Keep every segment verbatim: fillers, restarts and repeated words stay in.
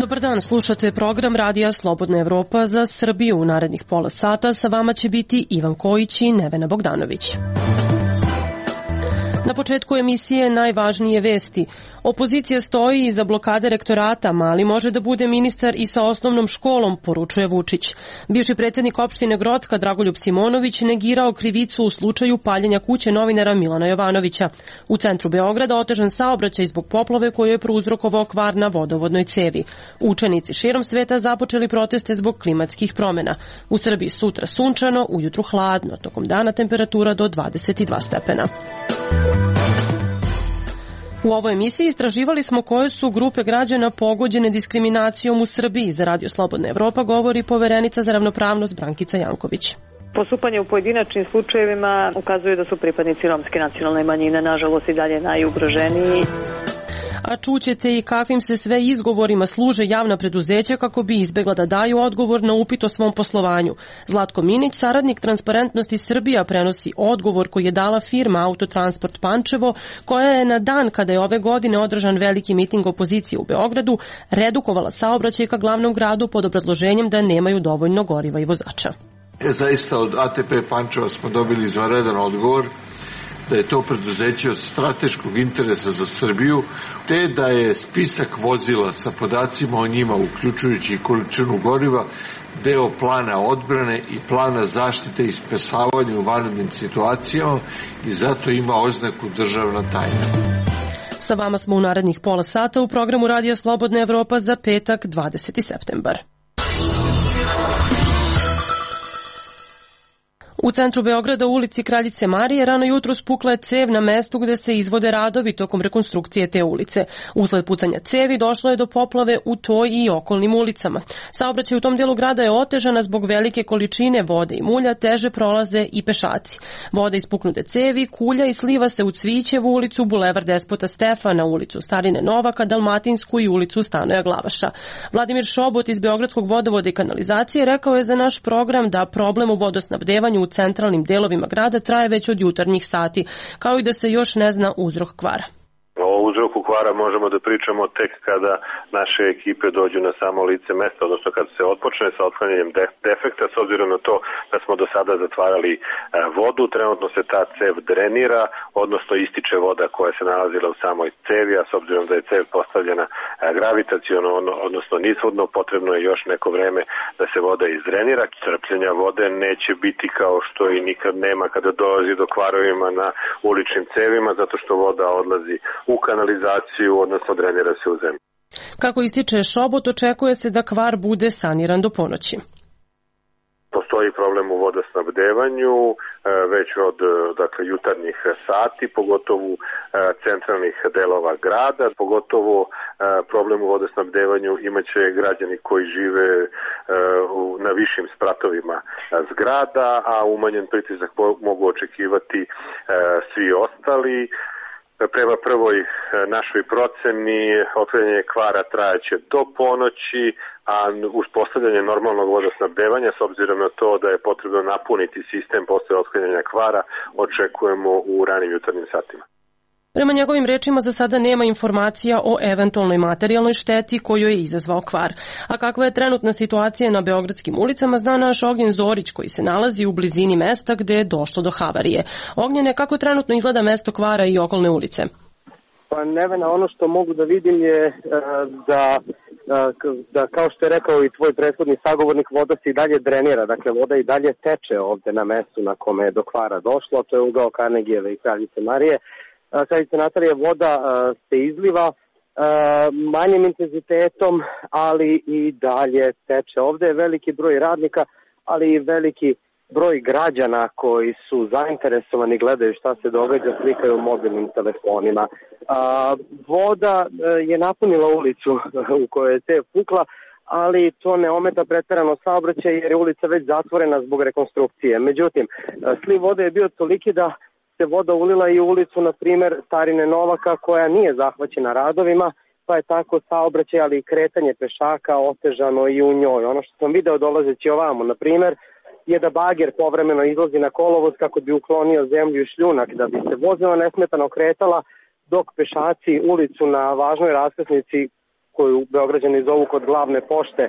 Dobar dan, slušate program Radija Slobodna Evropa za Srbiju. U narednih pola sata sa vama će biti Ivan Kojić i Nevena Bogdanović. Na početku emisije najvažnije vesti. Opozicija stoji iza blokade rektorata, Mali može da bude ministar i sa osnovnom školom, poručuje Vučić. Bivši predsjednik opštine Grocka Dragoljub Simonović negirao krivicu u slučaju paljenja kuće novinara Milana Jovanovića. U centru Beograda otežan saobraćaj zbog poplave koju je prouzrokovao kvar na vodovodnoj cevi. Učenici širom sveta započeli proteste zbog klimatskih promjena. U Srbiji sutra sunčano, ujutru hladno, tokom dana temperatura do dvadeset dva stepena. U ovoj emisiji istraživali smo koje su grupe građana pogođene diskriminacijom u Srbiji. Za Radio Slobodna Evropa govori poverenica za ravnopravnost Brankica Janković. Postupanje u pojedinačnim slučajevima ukazuje da su pripadnici romske nacionalne manjine nažalost i dalje najugroženiji. A čućete i kakvim se sve izgovorima služe javna preduzeća kako bi izbegla da daju odgovor na upit o svom poslovanju. Zlatko Minić, saradnik Transparentnosti Srbija, prenosi odgovor koji je dala firma Autotransport Pančevo, koja je na dan kada je ove godine održan veliki miting opozicije u Beogradu redukovala saobraćaj ka glavnom gradu pod obrazloženjem da nemaju dovoljno goriva i vozača. E, zaista od A T P Pančeva smo dobili izvanredan odgovor da je to preduzeće od strateškog interesa za Srbiju, te da je spisak vozila sa podacima o njima, uključujući i količinu goriva, deo plana odbrane i plana zaštite i spasavanja u vanrednim situacijama i zato ima oznaku državna tajna. Sa vama smo u narednih pola sata u programu Radija Slobodna Evropa za petak dvadeseti septembar. U centru Beograda u ulici Kraljice Marije rano jutro spukla je cev na mestu gde se izvode radovi tokom rekonstrukcije te ulice. Usled pucanja cevi došlo je do poplave u toj i okolnim ulicama. Saobraćaj u tom delu grada je otežana zbog velike količine vode i mulja, teže prolaze i pešaci. Voda iz puknute cevi kulja i sliva se u Cvićevu ulicu, Bulevar Despota Stefana, ulicu Starine Novaka, Dalmatinsku i ulicu Stanoja Glavaša. Vladimir Šobot iz Beogradskog vodovoda i kanalizacije rekao je za naš program da problem u vodosnabdevanju u centralnim delovima grada traje već od jutarnjih sati, kao i da se još ne zna uzrok kvara. O uzroku kvara možemo da pričamo tek kada naše ekipe dođu na samo lice mesta, odnosno kada se otpočne sa otklanjanjem defekta, s obzirom na to da smo do sada zatvarali vodu, trenutno se ta cev drenira, odnosno ističe voda koja se nalazila u samoj cevi, a s obzirom da je cev postavljena gravitaciono, odnosno nizvodno, potrebno je još neko vreme da se voda izdrenira. Crpljenja vode neće biti kao što i nikad nema kada dolazi do kvarovima na uličnim cevima, zato što voda odlazi u kanalizaciju, odnosno drenira se u zemlju. Kako ističe Šobot, očekuje se da kvar bude saniran do ponoći. Postoji problem u vodosnabdevanju već od dakle, jutarnjih sati, pogotovo centralnih delova grada, pogotovo problem u vodosnabdevanju imaće građani koji žive na višim spratovima zgrada, a umanjen pritisak mogu očekivati svi ostali. Prema prvoj našoj proceni otklanjanje kvara trajaće do ponoći, a uspostavljanje normalnog vodosnabdevanja, s obzirom na to da je potrebno napuniti sistem posle otklanjanja kvara, očekujemo u ranim jutarnjim satima. Prema njegovim rečima za sada nema informacija o eventualnoj materijalnoj šteti koju je izazvao kvar. A kakva je trenutna situacija na beogradskim ulicama zna naš Ognjen Zorić koji se nalazi u blizini mesta gde je došlo do havarije. Ognjene, kako trenutno izgleda mesto kvara i okolne ulice? Pa Nevena, ono što mogu da vidim je da, da kao što je rekao i tvoj prethodni sagovornik, voda se i dalje drenira, dakle voda i dalje teče ovde na mestu na kome je do kvara došlo, to je ugao Karnegijeve i Kraljice Marije. Kraljice Natalije voda se izliva manjim intenzitetom, ali i dalje teče. Ovde je veliki broj radnika, ali i veliki broj građana koji su zainteresovani, gledaju šta se događa, slikaju mobilnim telefonima. Voda je napunila ulicu u kojoj je cev pukla, ali to ne ometa preterano saobraćaj jer je ulica već zatvorena zbog rekonstrukcije. Međutim, sliv vode je bio toliki da se voda ulila i u ulicu, na primjer, Starine Novaka, koja nije zahvaćena radovima, pa je tako saobraćaj, ali i kretanje pešaka otežano i u njoj. Ono što sam video dolazeći ovamo, na primjer, je da bager povremeno izlazi na kolovoz kako bi uklonio zemlju i šljunak, da bi se vozila nesmetano kretala, dok pešaci ulicu na važnoj raskrsnici koju Beograđani zovu kod glavne pošte,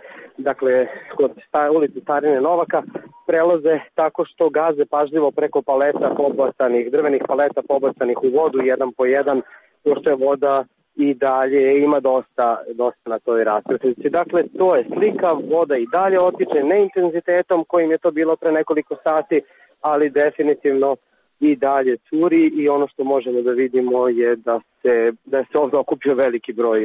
dakle kod ulice Starine Novaka, prelaze tako što gaze pažljivo preko paleta pobacanih, drvenih paleta pobacanih u vodu jedan po jedan, pošto je voda i dalje ima dosta, dosta na toj raskrsnici. Dakle, to je slika, voda i dalje otiče, ne intenzitetom kojim je to bilo pre nekoliko sati, ali definitivno i dalje curi i ono što možemo da vidimo je da se, da se ovdje okupio veliki broj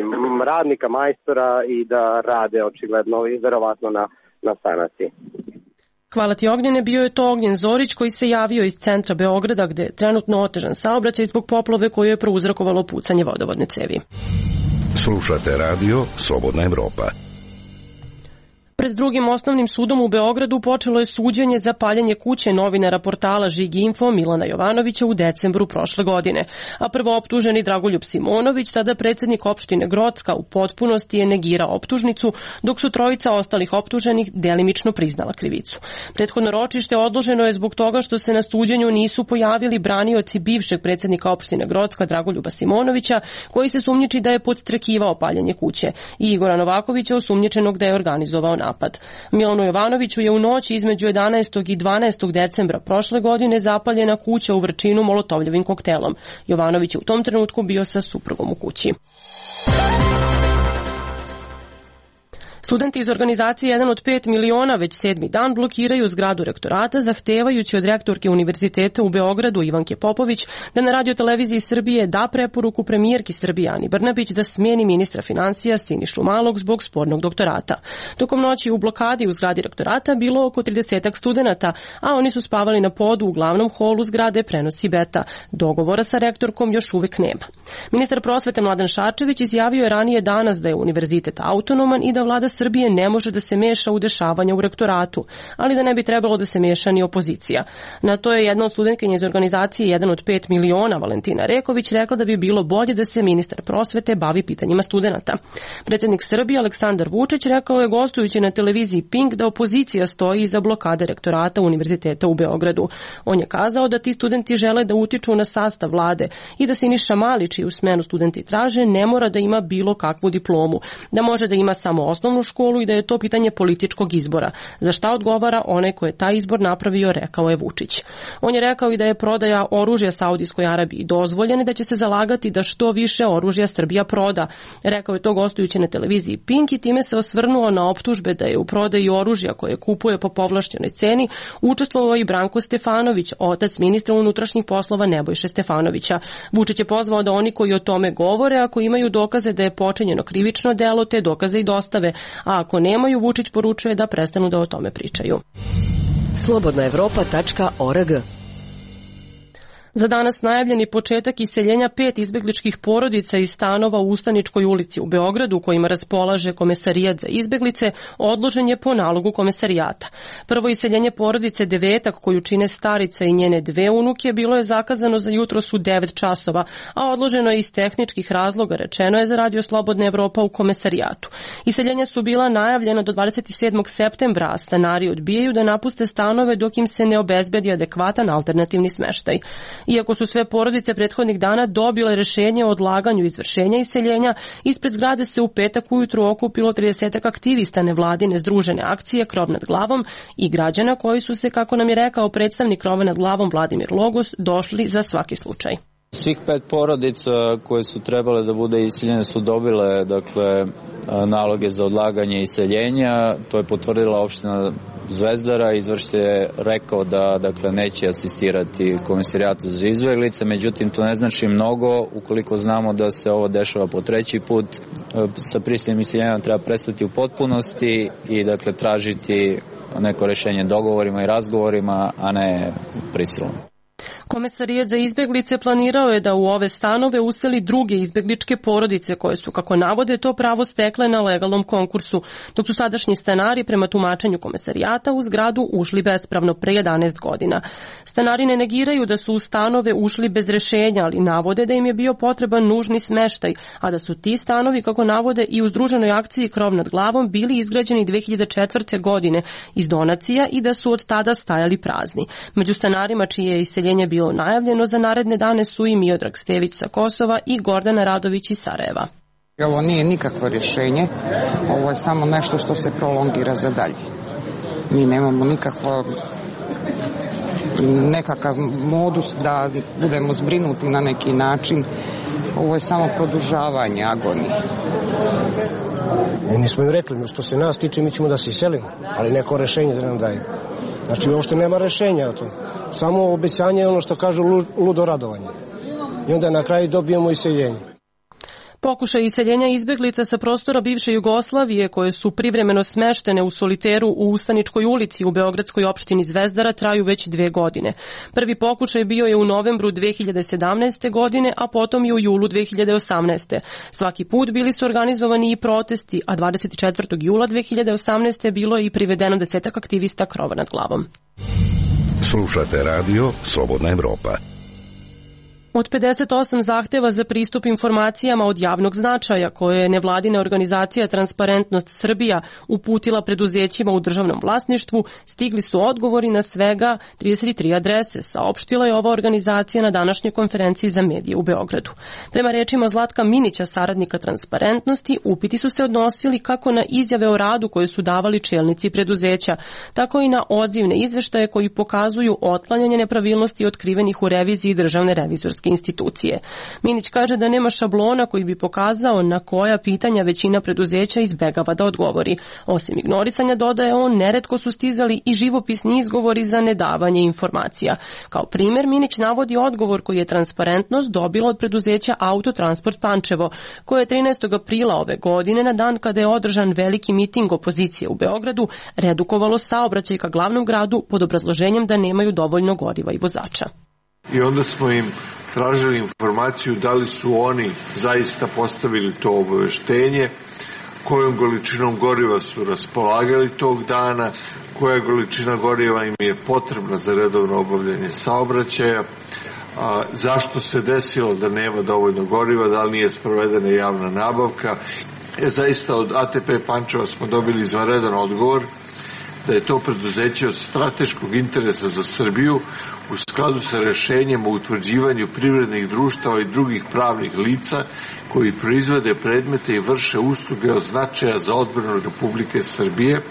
radnika, majstora i da rade očigledno i verovatno na, na sanaciji. Hvala ti, Ognjene. Bio je to Ognjen Zorić koji se javio iz centra Beograda gde je trenutno otežan saobraćaj zbog poplave koju je prouzrokovalo pucanje vodovodne cevi. Slušate radio Slobodna Evropa. Pred drugim osnovnim sudom u Beogradu počelo je suđenje za paljenje kuće novinara portala Žig Info Milana Jovanovića u decembru prošle godine. A prvo optuženi Dragoljub Simonović, tada predsjednik opštine Grocka, u potpunosti je negirao optužnicu, dok su trojica ostalih optuženih delimično priznala krivicu. Prethodno ročište odloženo je zbog toga što se na suđenju nisu pojavili branioci bivšeg predsjednika opštine Grocka Dragoljuba Simonovića, koji se sumnjiči da je podstrekivao paljenje kuće, i Igora Novakovića, osumnjičenog da je organizovao napad. Milanu Jovanoviću je u noći između jedanaestog i dvanaestog decembra prošle godine zapaljena kuća u Vrčinu molotovljevim koktelom. Jovanović je u tom trenutku bio sa suprugom u kući. Studenti iz organizacije jedan od pet miliona već sedmi dan blokiraju zgradu rektorata, zahtevajući od rektorke Univerziteta u Beogradu Ivanke Popović da na radioteleviziji Srbije da preporuku premijerki Srbije Ani Brnabić da smeni ministra finansija Sinišu Malog zbog spornog doktorata. Tokom noći u blokadi u zgradi rektorata bilo oko tridesetak studenata, a oni su spavali na podu u glavnom holu zgrade, prenosi Beta. Dogovora sa rektorkom još uvek nema. Ministar prosvete Mladen Šarčević izjavio je ranije danas da je univerzitet autonoman i da vlada Srbije ne može da se meša u dešavanja u rektoratu, ali da ne bi trebalo da se meša ni opozicija. Na to je jedna od studentkinja iz organizacije jedan od pet miliona Valentina Reković rekla da bi bilo bolje da se ministar prosvete bavi pitanjima studenata. Predsjednik Srbije Aleksandar Vučić rekao je gostujući na televiziji Pink da opozicija stoji iza blokade rektorata Univerziteta u Beogradu. On je kazao da ti studenti žele da utiču na sastav vlade i da Siniša Mali, čiju smenu studenti traže, ne mora da ima bilo kakvu diplomu, da može da ima samo osnovnu školu i da je to pitanje političkog izbora. Za šta odgovara onaj ko je taj izbor napravio, rekao je Vučić. On je rekao i da je prodaja oružja Saudijskoj Arabiji dozvoljena i da će se zalagati da što više oružja Srbija proda. Rekao je to gostujući na televiziji Pink i time se osvrnuo na optužbe da je u prodaji oružja koje kupuje po povlašćenoj ceni učestvovao i Branko Stefanović, otac ministra unutrašnjih poslova Nebojše Stefanovića. Vučić je pozvao da oni koji o tome govore, ako imaju dokaze da je počinjeno krivično delo, te dokaze i dostave, a ako nemaju, Vučić poručuje da prestanu da o tome pričaju. slobodna evropa tačka org. Za danas najavljeni početak iseljenja pet izbegličkih porodica iz stanova u Ustaničkoj ulici u Beogradu, kojima raspolaže Komesarijat za izbeglice, odložen je po nalogu Komesarijata. Prvo iseljenje porodice Devetak, koju čine starica i njene dve unuke, bilo je zakazano za jutros u devet časova, a odloženo je iz tehničkih razloga, rečeno je za Radio Slobodna Evropa u Komesarijatu. Iseljenja su bila najavljena do dvadeset sedmog septembra, a stanari odbijaju da napuste stanove dok im se ne obezbedi adekvatan alternativni smeštaj. Iako su sve porodice prethodnih dana dobile rešenje o odlaganju izvršenja iseljenja, ispred zgrade se u petak ujutru okupilo tridesetak aktivista nevladine združene akcije Krov nad glavom i građana koji su se, kako nam je rekao predstavnik Krova nad glavom Vladimir Logos, došli za svaki slučaj. Svih pet porodica koje su trebale da bude iseljene su dobile, dakle, naloge za odlaganje iseljenja. To je potvrdila opština Zvezdara. Izvršitelj je rekao da, dakle, neće asistirati Komesarijatu za izbeglice, međutim to ne znači mnogo ukoliko znamo da se ovo dešava po treći put. Sa prisilnim iseljenjem treba prestati u potpunosti i, dakle, tražiti neko rešenje dogovorima i razgovorima, a ne prisilom. Komesarijat za izbeglice planirao je da u ove stanove useli druge izbegličke porodice koje su, kako navode, to pravo stekle na legalnom konkursu, dok su sadašnji stanari prema tumačenju Komesarijata u zgradu ušli bespravno pre jedanaest godina. Stanari ne negiraju da su u stanove ušli bez rešenja, ali navode da im je bio potreban nužni smeštaj, a da su ti stanovi, kako navode, i u združenoj akciji Krov nad glavom bili izgrađeni dve hiljade četvrte. godine iz donacija i da su od tada stajali prazni. Među stanarima čije je iseljenje bilo najavljeno za naredne dane su i Miodrag Stević sa Kosova i Gordana Radović iz Sarajeva. Ovo nije nikakvo rješenje, ovo je samo nešto što se prolongira za dalje. Mi nemamo nikakvo nekakav modus da budemo zbrinuti na neki način. Ovo je samo produžavanje agonije. Mi smo im rekli, što se nas tiče, mi ćemo da se iselimo, ali neko rešenje da nam daju. Znači, uopšte nema rešenja o tom. Samo obećanje je ono što kažu ludo radovanje. I onda na kraju dobijemo iseljenje. Pokušaj iseljenja izbeglica sa prostora bivše Jugoslavije koje su privremeno smeštene u soliteru u Ustaničkoj ulici u beogradskoj opštini Zvezdara traju već dve godine. Prvi pokušaj bio je u novembru dve hiljade sedamnaeste. godine, a potom i u julu dve hiljade osamnaeste. Svaki put bili su organizovani i protesti, a dvadeset četvrtog jula dve hiljade osamnaeste. bilo je i privedeno desetak aktivista krova nad glavom. Slušate radio Slobodna Evropa. Od pedeset osam zahteva za pristup informacijama od javnog značaja koje je nevladina organizacija Transparentnost Srbija uputila preduzećima u državnom vlasništvu, stigli su odgovori na svega trideset tri adrese, saopštila je ova organizacija na današnjoj konferenciji za medije u Beogradu. Prema rečima Zlatka Minića, saradnika Transparentnosti, upiti su se odnosili kako na izjave o radu koje su davali čelnici preduzeća, tako i na odzivne izveštaje koji pokazuju otklanjanje nepravilnosti otkrivenih u reviziji državne revizorske institucije. Minić kaže da nema šablona koji bi pokazao na koja pitanja većina preduzeća izbegava da odgovori. Osim ignorisanja, dodaje on, neretko su stizali i živopisni izgovori za nedavanje informacija. Kao primjer, Minić navodi odgovor koji je Transparentnost dobila od preduzeća Autotransport Pančevo, koje je trinaestog aprila ove godine, na dan kada je održan veliki miting opozicije u Beogradu, redukovalo saobraćaj ka glavnom gradu pod obrazloženjem da nemaju dovoljno goriva i vozača. I onda smo im tražili informaciju da li su oni zaista postavili to obaveštenje, kojom količinom goriva su raspolagali tog dana, koja količina goriva im je potrebna za redovno obavljanje saobraćaja, a, zašto se desilo da nema dovoljno goriva, da li nije sprovedena javna nabavka. E, zaista od A T P Pančeva smo dobili izvanredan odgovor da je to preduzeće od strateškog interesa za Srbiju u skladu sa rešenjem o utvrđivanju privrednih društava i drugih pravnih lica koji proizvode predmete i vrše usluge od značaja za odbranu Republike Srbije,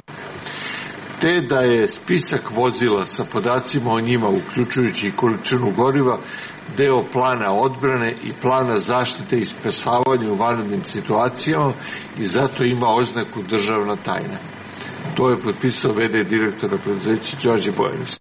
te da je spisak vozila sa podacima o njima, uključujući i količinu goriva, deo plana odbrane i plana zaštite i spasavanja u vanrednim situacijama i zato ima oznaku državna tajna. To je potpisao ve de direktora preduzeća Đorđe Bojanis.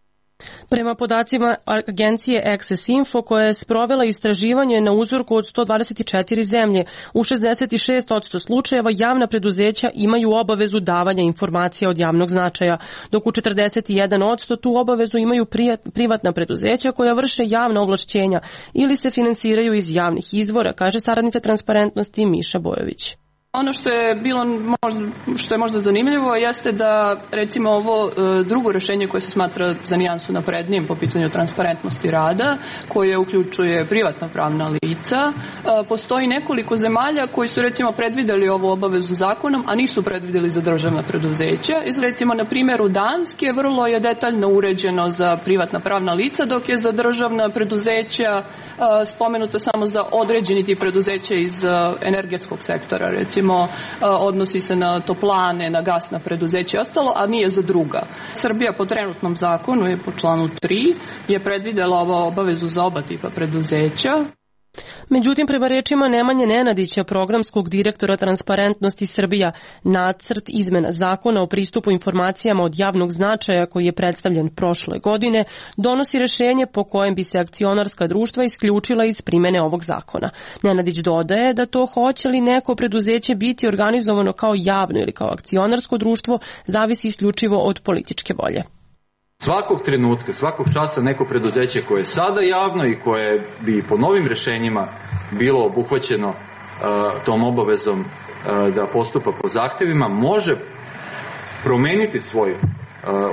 Prema podacima agencije Access Info, koja je sprovela istraživanje na uzorku od sto dvadeset četiri zemlje, u šezdeset šest posto slučajeva javna preduzeća imaju obavezu davanja informacija od javnog značaja, dok u četrdeset jedan posto tu obavezu imaju privatna preduzeća koja vrše javna ovlašćenja ili se finansiraju iz javnih izvora, kaže saradnica Transparentnosti Miša Bojović. Ono što je bilo možda, što je možda zanimljivo jeste da recimo ovo drugo rešenje koje se smatra za nijansu naprednijim po pitanju transparentnosti rada, koje uključuje privatna pravna lica, postoji nekoliko zemalja koji su recimo predvideli ovu obavezu zakonom, a nisu predvideli za državna preduzeća. Iz recimo na primjeru Danske vrlo je detaljno uređeno za privatna pravna lica, dok je za državna preduzeća spomenuto samo za određeni tip preduzeća iz energetskog sektora, recimo odnosi se na toplane, na gasna preduzeća i ostalo, a nije za druga. Srbija po trenutnom zakonu je po članu tri je predvidela ovo obavezu za oba tipa preduzeća. Međutim, prema rečima Nemanje Nenadića, programskog direktora Transparentnosti Srbija, nacrt izmena zakona o pristupu informacijama od javnog značaja koji je predstavljen prošle godine donosi rešenje po kojem bi se akcionarska društva isključila iz primene ovog zakona. Nenadić dodaje da to hoće li neko preduzeće biti organizovano kao javno ili kao akcionarsko društvo zavisi isključivo od političke volje. Svakog trenutka, svakog časa neko preduzeće koje je sada javno i koje bi po novim rešenjima bilo obuhvaćeno uh, tom obavezom uh, da postupa po zahtevima, može promeniti svoj uh,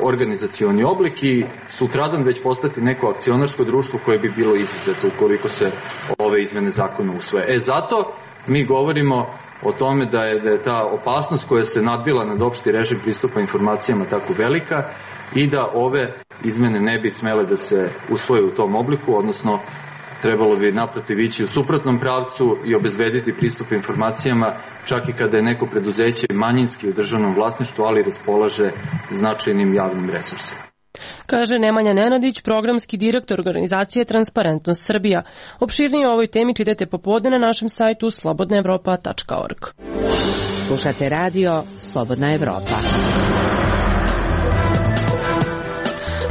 organizacioni oblik i sutradan već postati neko akcionarsko društvo koje bi bilo izuzeto ukoliko se ove izmene zakona usvoje. E zato mi govorimo o tome da je, da je ta opasnost koja se nadvila nad opšti režim pristupa informacijama tako velika i da ove izmene ne bi smele da se usvoje u tom obliku, odnosno trebalo bi naprotiv ići u suprotnom pravcu i obezbediti pristup informacijama čak i kada je neko preduzeće manjinski u državnom vlasništvu, ali raspolaže značajnim javnim resursima. Kaže Nemanja Nenadić, programski direktor organizacije Transparentnost Srbija. Opširnije o ovoj temi čitajte popodne na našem sajtu slobodna evropa tačka org. Slušate radio Slobodna Evropa.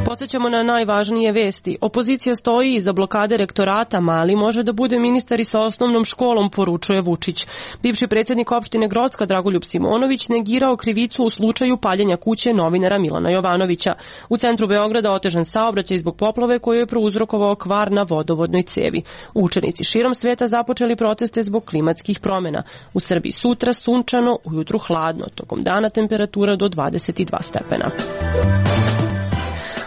Podsjećamo na najvažnije vesti. Opozicija stoji iza blokade rektorata, Mali može da bude ministar i sa osnovnom školom, poručuje Vučić. Bivši predsjednik opštine Grocka Dragoljub Simonović negirao krivicu u slučaju paljenja kuće novinara Milana Jovanovića. U centru Beograda otežan saobraćaj zbog poplave koju je prouzrokovao kvar na vodovodnoj cevi. Učenici širom sveta započeli proteste zbog klimatskih promjena. U Srbiji sutra sunčano, ujutru hladno, tokom dana temperatura do dvadeset dva stepena.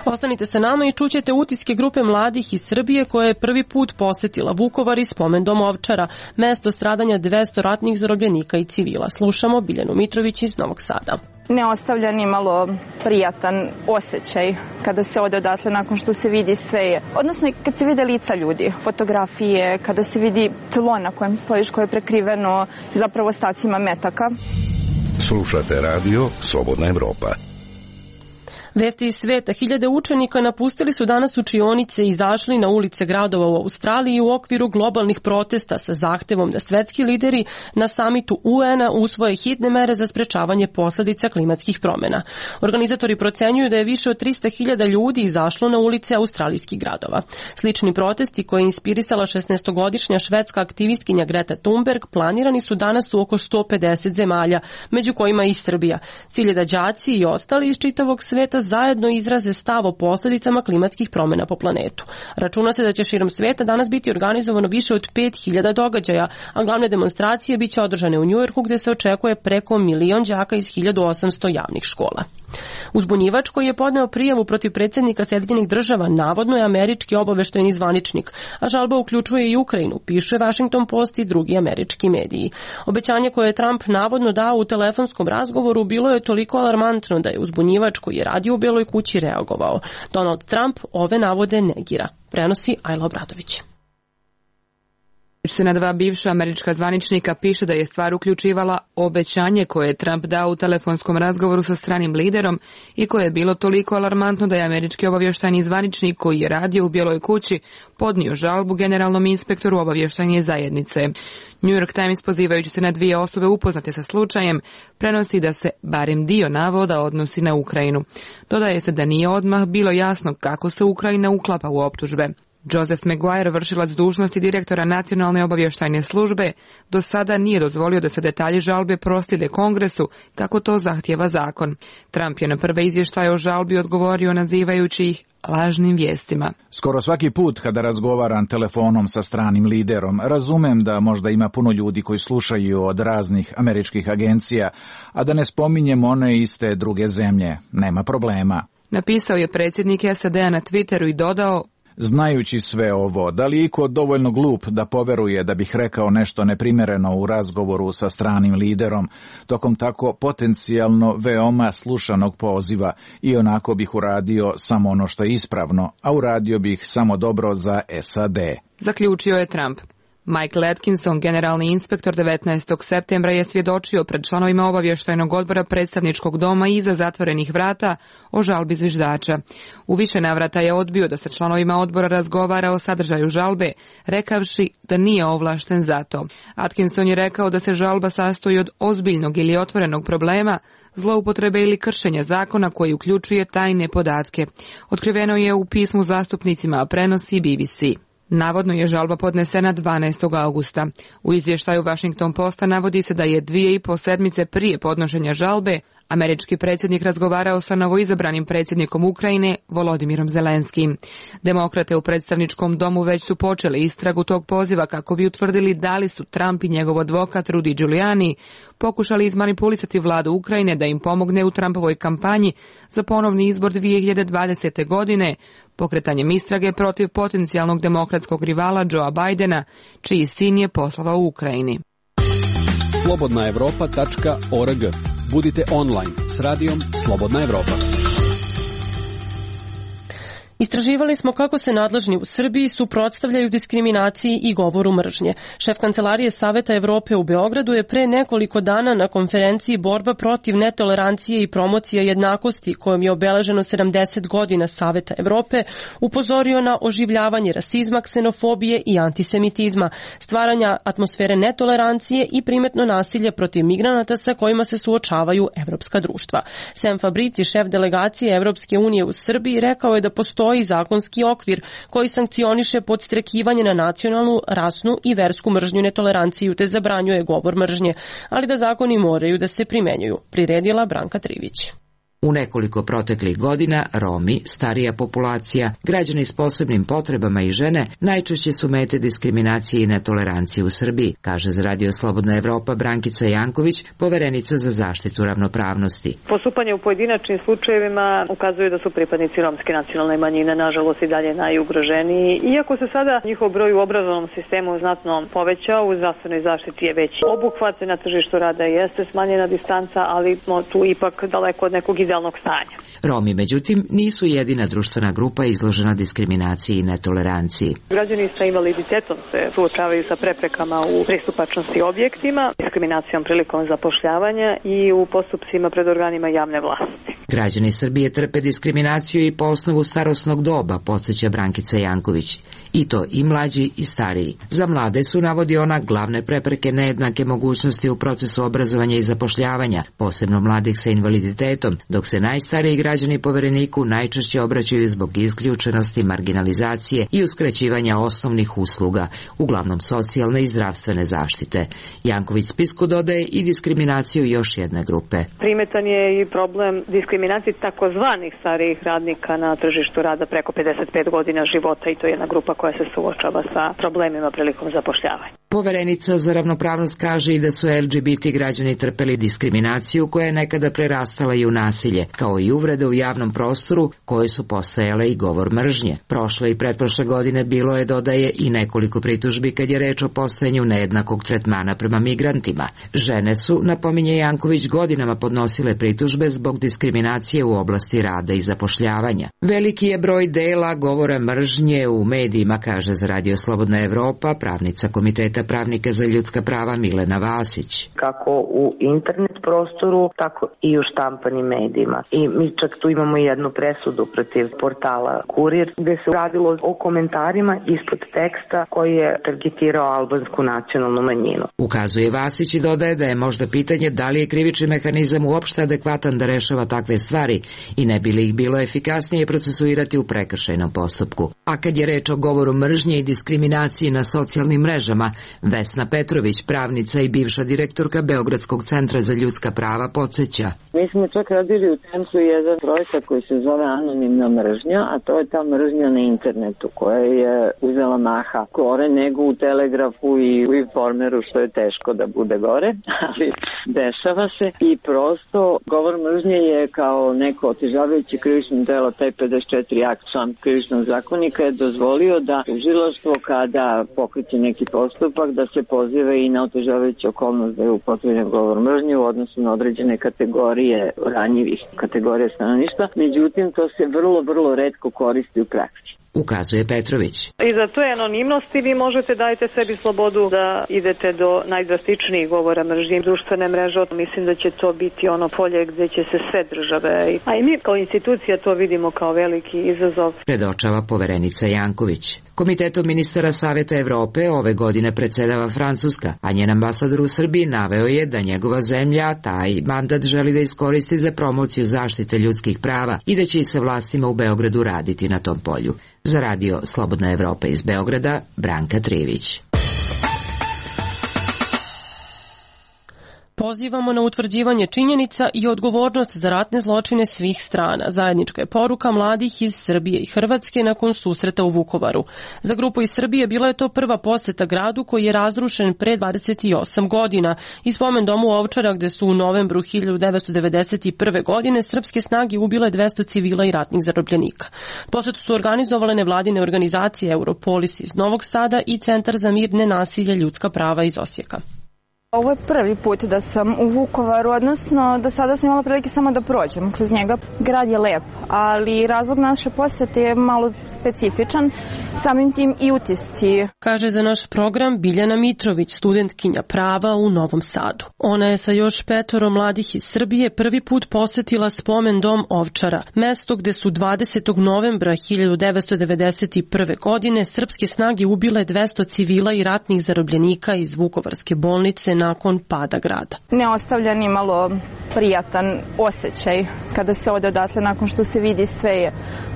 Ostanite sa nama i čućete utiske grupe mladih iz Srbije koja je prvi put posetila Vukovar i spomendom Ovčara, mesto stradanja dvesta ratnih zarobljenika i civila. Slušamo Biljanu Mitrović iz Novog Sada. Ne ostavlja ni malo prijatan osjećaj kada se ode odatle nakon što se vidi sve, odnosno kad se vide lica ljudi, fotografije, kada se vidi tlo na kojem stojiš koje je prekriveno zapravo ostacima metaka. Slušate radio Slobodna Evropa. Vesti iz sveta. Hiljade učenika napustili su danas učionice i izašli na ulice gradova u Australiji u okviru globalnih protesta sa zahtevom da svetski lideri na samitu U N-a usvoje hitne mere za sprečavanje posledica klimatskih promjena. Organizatori procenjuju da je više od trista hiljada ljudi izašlo na ulice australijskih gradova. Slični protesti koje je inspirisala šesnaestogodišnja švedska aktivistkinja Greta Thunberg planirani su danas u oko sto pedeset zemalja, među kojima i Srbija. Cilj je da đaci i ostali iz čitavog sveta zajedno izraze stav o posljedicama klimatskih promjena po planetu. Računa se da će širom sveta danas biti organizovano više od pet hiljada događaja, a glavne demonstracije biće održane u Njujorku gdje se očekuje preko milion đaka iz hiljadu osamsto javnih škola. Uzbunjivač koji je podneo prijavu protiv predsjednika Sjedinjenih Država navodno je američki obaveštajni zvaničnik, a žalba uključuje i Ukrajinu, piše Washington Post i drugi američki mediji. Obećanje koje je Trump navodno dao u telefonskom razgovoru bilo je toliko alarmantno da je uzbunjivač koji je radio u Beloj kući reagovao. Donald Trump ove navode negira. Prenosi Ajla Obradović. Se na dva bivša američka zvaničnika piše da je stvar uključivala obećanje koje je Trump dao u telefonskom razgovoru sa stranim liderom i koje je bilo toliko alarmantno da je američki obavještajni zvaničnik koji je radio u Bijeloj kući podnio žalbu generalnom inspektoru obavještajne zajednice. New York Times, pozivajući se na dvije osobe upoznate sa slučajem, prenosi da se barem dio navoda odnosi na Ukrajinu. Dodaje se da nije odmah bilo jasno kako se Ukrajina uklapa u optužbe. Joseph Maguire, vršilac dužnosti direktora Nacionalne obavještajne službe, do sada nije dozvolio da se detalji žalbe proslijede Kongresu kako to zahtjeva zakon. Trump je na prve izvještaje o žalbi odgovorio nazivajući ih lažnim vijestima. Skoro svaki put kada razgovaram telefonom sa stranim liderom, razumem da možda ima puno ljudi koji slušaju od raznih američkih agencija, a da ne spominjem one iste druge zemlje. Nema problema. Napisao je predsjednik S A D-a na Twitteru i dodao: znajući sve ovo, da li je iko dovoljno glup da poveruje da bih rekao nešto neprimjereno u razgovoru sa stranim liderom, tokom tako potencijalno veoma slušanog poziva, i onako bih uradio samo ono što je ispravno, a uradio bih samo dobro za S A D. Zaključio je Trump. Michael Atkinson, generalni inspektor, devetnaestog septembra je svjedočio pred članovima obavještajnog odbora predstavničkog doma iza zatvorenih vrata o žalbi zviždača. U više navrata je odbio da sa članovima odbora razgovara o sadržaju žalbe, rekavši da nije ovlašten za to. Atkinson je rekao da se žalba sastoji od ozbiljnog ili otvorenog problema, zloupotrebe ili kršenja zakona koji uključuje tajne podatke. Otkriveno je u pismu zastupnicima, a prenosi B B C. Navodno je žalba podnesena dvanaestog augusta. U izvještaju Washington Posta navodi se da je dvije i po sedmice prije podnošenja žalbe američki predsjednik razgovarao sa novoizabranim predsjednikom Ukrajine Volodimirom Zelenskim. Demokrate u predstavničkom domu već su počeli istragu tog poziva kako bi utvrdili da li su Trump i njegov advokat Rudy Giuliani pokušali izmanipulisati vladu Ukrajine da im pomogne u Trumpovoj kampanji za ponovni izbor dvije hiljade dvadesete. godine, pokretanjem istrage protiv potencijalnog demokratskog rivala Joea Bidena, čiji sin je poslovao u Ukrajini. slobodna evropa tačka org. Budite online s radijom Slobodna Evropa. Istraživali smo kako se nadležni u Srbiji suprotstavljaju diskriminaciji i govoru mržnje. Šef Kancelarije Saveta Evrope u Beogradu je pre nekoliko dana na konferenciji Borba protiv netolerancije i promocija jednakosti, kojom je obeleženo sedamdeset godina Saveta Evrope, upozorio na oživljavanje rasizma, ksenofobije i antisemitizma, stvaranja atmosfere netolerancije i primetno nasilje protiv migranata sa kojima se suočavaju evropska društva. Sam Fabrici, šef delegacije Evropske unije u Srbiji, rekao je da postoji zakonski okvir koji sankcioniše podstrekivanje na nacionalnu, rasnu i versku mržnju i netoleranciju te zabranjuje govor mržnje, ali da zakoni moraju da se primenjuju, priredila Branka Trivić. U nekoliko proteklih godina Romi, starija populacija, građani s posebnim potrebama i žene najčešće su mete diskriminacije i netolerancije u Srbiji, kaže za Radio Slobodna Evropa Brankica Janković, poverenica za zaštitu ravnopravnosti. Postupanje u pojedinačnim slučajevima ukazuje da su pripadnici romske nacionalne manjine nažalost i dalje najugroženiji. Iako se sada njihov broj u obrazovnom sistemu znatno povećao, u zdravstvenoj zaštiti je veći obuhvat, na tržištu rada jeste smanjena distanca, ali tu ipak daleko od nekog idealnog stanja. Romi, međutim, nisu jedina društvena grupa izložena diskriminaciji i netoleranciji. Građani sa invaliditetom se suočavaju sa preprekama u pristupačnosti objektima, diskriminacijom prilikom zapošljavanja i u postupcima pred organima javne vlasti. Građani Srbije trpe diskriminaciju i po osnovu starosnog doba, podsjeća Brankica Janković. I to i mlađi i stariji. Za mlade su, navodi ona, glavne prepreke nejednake mogućnosti u procesu obrazovanja i zapošljavanja, posebno mladih sa invaliditetom, dok se najstariji građani Povereniku najčešće obraćaju zbog isključenosti, marginalizacije i uskraćivanja osnovnih usluga, uglavnom socijalne i zdravstvene zaštite. Janković spisku dodaje i diskriminaciju još jedne grupe. Primetan je i problem diskriminacije takozvanih starijih radnika na tržištu rada preko pedeset pet godina života, i to je jedna grupa koja se suočava sa problemima prilikom zapošljavanja. Poverenica za ravnopravnost kaže i da su L G B T građani trpeli diskriminaciju koja je nekada prerastala i u nasilje, kao i uvrede u javnom prostoru koje su postajale i govor mržnje. Prošle i pretprošle godine bilo je, dodaje, i nekoliko pritužbi kad je reč o postojanju nejednakog tretmana prema migrantima. Žene su, napominje Janković, godinama podnosile pritužbe zbog diskriminacije u oblasti rada i zapošljavanja. Veliki je broj dela govora mržnje u medijima, kaže za Radio Slobodna Evropa pravnica Komiteta pravnika za ljudska prava Milena Vasić. Kako u internet prostoru, tako i u štampanim medijima. I mi čak tu imamo jednu presudu protiv portala Kurir, gde se radilo o komentarima ispod teksta koji je targetirao albansku nacionalnu manjinu. Ukazuje Vasić i dodaje da je možda pitanje da li je krivični mehanizam uopšte adekvatan da rešava takve stvari i ne bi li ih bilo efikasnije procesuirati u prekršajnom postupku. A kad je reč o govoru mržnje i diskriminaciji na socijalnim mrežama, Vesna Petrović, pravnica i bivša direktorka Beogradskog centra za ljudska prava, podsjeća. Mi smo čak radili u centru jedan projekat koji se zove Anonimna mržnja, a to je ta mržnja na internetu koja je uzela maha gore nego u Telegrafu i u Informeru, što je teško da bude gore, ali dešava se i prosto govor mržnje je kao neko otežavajuće krivično delo, taj pedeset četiri akt član krivičnog zakonika je dozvolio da tužilaštvo kada pokreće neki postupak da se poziva i na otežavajuću okolnost da je upotrebljen govor mržnje u odnosu na određene kategorije ranjivih kategorija stanovništva, međutim to se vrlo, vrlo retko koristi u praksi. Ukazuje Petrović. I za to je anonimnosti vi možete dajte sebi slobodu da idete do najdrastičnijih govora mržnje i društvene mreže. Mislim da će to biti ono polje gdje će se sve države, a i mi kao institucija to vidimo kao veliki izazov. Predočava poverenica Janković. Komitetom ministara Saveta Evrope ove godine predsedava Francuska, a njen ambasador u Srbiji naveo je da njegova zemlja taj mandat želi da iskoristi za promociju zaštite ljudskih prava i da će i sa vlastima u Beogradu raditi na tom polju. Za Radio Slobodna Evropa iz Beograda, Branka Trivić. Pozivamo na utvrđivanje činjenica i odgovornost za ratne zločine svih strana. Zajednička je poruka mladih iz Srbije i Hrvatske nakon susreta u Vukovaru. Za grupu iz Srbije bila je to prva poseta gradu koji je razrušen pre dvadeset osam godina i spomen domu Ovčara gde su u novembru hiljadu devetsto devedeset prve. godine srpske snage ubile dvesta civila i ratnih zarobljenika. Posetu su organizovale nevladine organizacije Europolis iz Novog Sada i Centar za mir, nenasilje, ljudska prava iz Osijeka. Ovo je prvi put da sam u Vukovaru, odnosno do sada sam imala prilike samo da prođem kroz njega. Grad je lep, ali razlog naše posete je malo specifičan, samim tim i utisci. Kaže za naš program Biljana Mitrović, studentkinja prava u Novom Sadu. Ona je sa još petoro mladih iz Srbije prvi put posetila spomen dom Ovčara, mesto gde su dvadesetog novembra hiljadu devetsto devedeset prve. godine srpske snage ubile dvesta civila i ratnih zarobljenika iz Vukovarske bolnice nakon pada grada. Ne ostavlja ni malo prijatan osjećaj kada se ode odatle nakon što se vidi sve,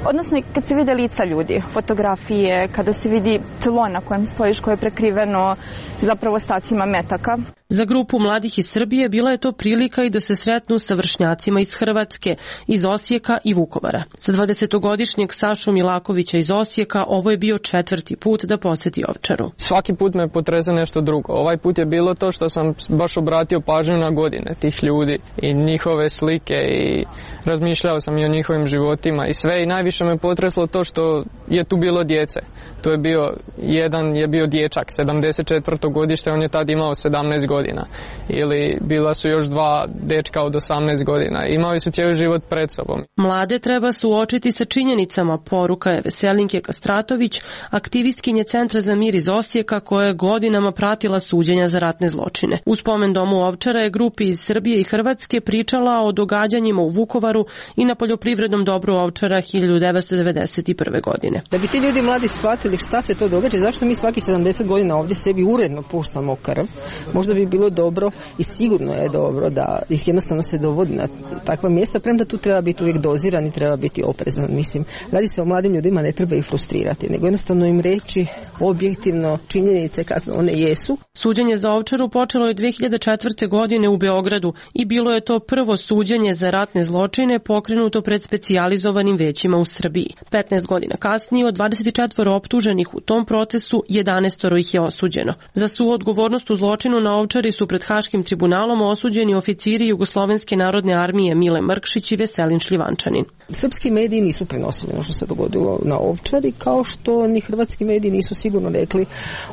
odnosno kad se vide lica ljudi, fotografije, kada se vidi tlo na kojem stojiš koje je prekriveno zapravo ostacima metaka. Za grupu mladih iz Srbije bila je to prilika i da se sretnu sa vršnjacima iz Hrvatske, iz Osijeka i Vukovara. Za dvadesetogodišnjeg Sašu Milakovića iz Osijeka ovo je bio četvrti put da poseti Ovčaru. Svaki put me potrese nešto drugo. Ovaj put je bilo to što sam baš obratio pažnju na godine tih ljudi i njihove slike i razmišljao sam i o njihovim životima i sve, i najviše me potreslo to što je tu bilo djece. To je bio, jedan je bio dječak, sedamdeset četvrto godište, on je tad imao sedamnaest godina. Ili bila su još dva dečka od osamnaest godina. Imali su cijeli život pred sobom. Mlade treba suočiti sa činjenicama, poruka je Veselinke Kastratović, aktivistkinje Centra za mir iz Osijeka koja je godinama pratila suđenja za ratne zločine. U spomen domu Ovčara je grupi iz Srbije i Hrvatske pričala o događanjima u Vukovaru i na poljoprivrednom dobru Ovčara hiljadu devetsto devedeset prve. godine. Da bi ti ljudi mladi shvatili šta se to događa, zašto mi svaki sedamdeset godina ovdje sebi uredno puštamo krv, možda bi bilo dobro i sigurno je dobro da jednostavno se dovodi na takva mjesta, premda tu treba biti uvijek doziran i treba biti oprezan. Mislim, radi se o mladim ljudima, ne treba ih frustrirati, nego jednostavno im reći objektivno činjenice kakve one jesu. Suđenje za Ovčaru počelo je dve hiljade četvrte. godine u Beogradu i bilo je to prvo suđenje za ratne zločine pokrenuto pred specijalizovanim većima u Srbiji. petnaest godina kasnije od dvadeset četiri optuženih u tom procesu, jedanaest ih je osuđeno. Za suodgovornost u zločinu na Ovčari su pred Haškim tribunalom osuđeni oficiri Jugoslovenske narodne armije Mile Mrkšić i Veselin Šljivančanin. Srpski mediji nisu prenosili ono što se dogodilo na Ovčari, kao što ni hrvatski mediji nisu sigurno rekli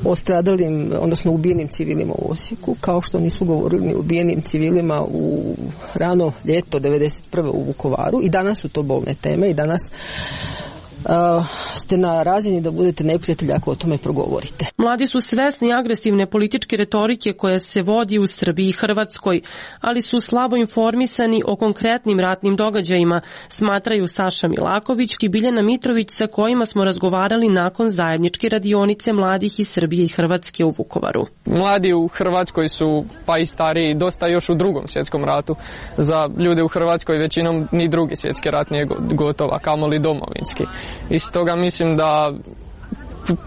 o stradalim, odnosno ubijenim civilima u Osijeku, kao što nisu govorili ni o ubijenim civilima u rano ljeto devedeset prve. u Vukovaru. I danas su to bolne teme i danas Uh, ste na razini da budete neprijatelji ako o tome progovorite. Mladi su svesni agresivne političke retorike koja se vodi u Srbiji i Hrvatskoj, ali su slabo informisani o konkretnim ratnim događajima, smatraju Saša Milaković i Biljana Mitrović, sa kojima smo razgovarali nakon zajedničke radionice mladih iz Srbije i Hrvatske u Vukovaru. Mladi u Hrvatskoj su, pa i stariji, dosta još u drugom svjetskom ratu. Za ljude u Hrvatskoj većinom ni drugi svjetski rat nije gotova, kamoli domovinski. I stoga mislim da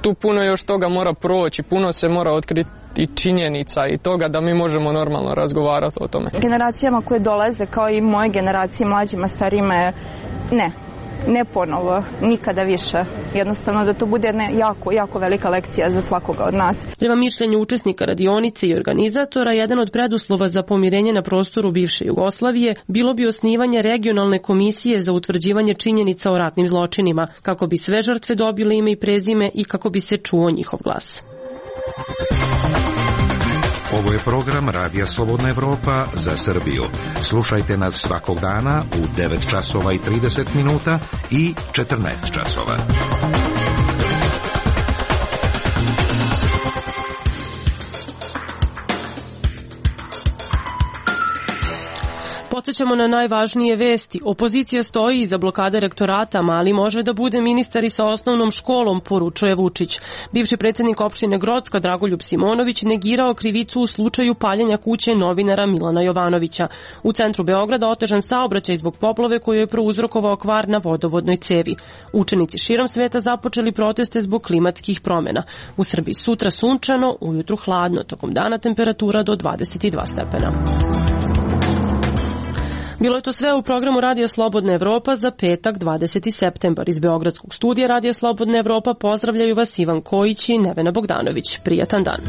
tu puno još toga mora proći, puno se mora otkriti i činjenica i toga da mi možemo normalno razgovarati o tome. Generacijama koje dolaze, kao i moje generacije, mlađima, starijima, ne. Ne ponovo, nikada više. Jednostavno da to bude jedna jako, jako velika lekcija za svakoga od nas. Prema mišljenju učesnika radionice i organizatora, jedan od preduslova za pomirenje na prostoru bivše Jugoslavije bilo bi osnivanje regionalne komisije za utvrđivanje činjenica o ratnim zločinima, kako bi sve žrtve dobile ime i prezime i kako bi se čuo njihov glas. Ovo je program Radija Slobodna Evropa za Srbiju. Slušajte nas svakog dana u devet časova i trideset minuta i četrnaest časova. Podsjećamo na najvažnije vesti. Opozicija stoji iza blokade rektorata, Mali može da bude ministar i sa osnovnom školom, poručuje Vučić. Bivši predsjednik opštine Grocka Dragoljub Simonović negirao krivicu u slučaju paljenja kuće novinara Milana Jovanovića. U centru Beograda otežan saobraćaj zbog poplave koju je prouzrokovao kvar na vodovodnoj cevi. Učenici širom sveta započeli proteste zbog klimatskih promjena. U Srbiji sutra sunčano, ujutru hladno, tokom dana temperatura do dvadeset dva stepena. Bilo je to sve u programu Radija Slobodna Evropa za petak dvadeseti septembar. Iz Beogradskog studija Radija Slobodna Evropa pozdravljaju vas Ivan Kojić i Nevena Bogdanović. Prijatan dan.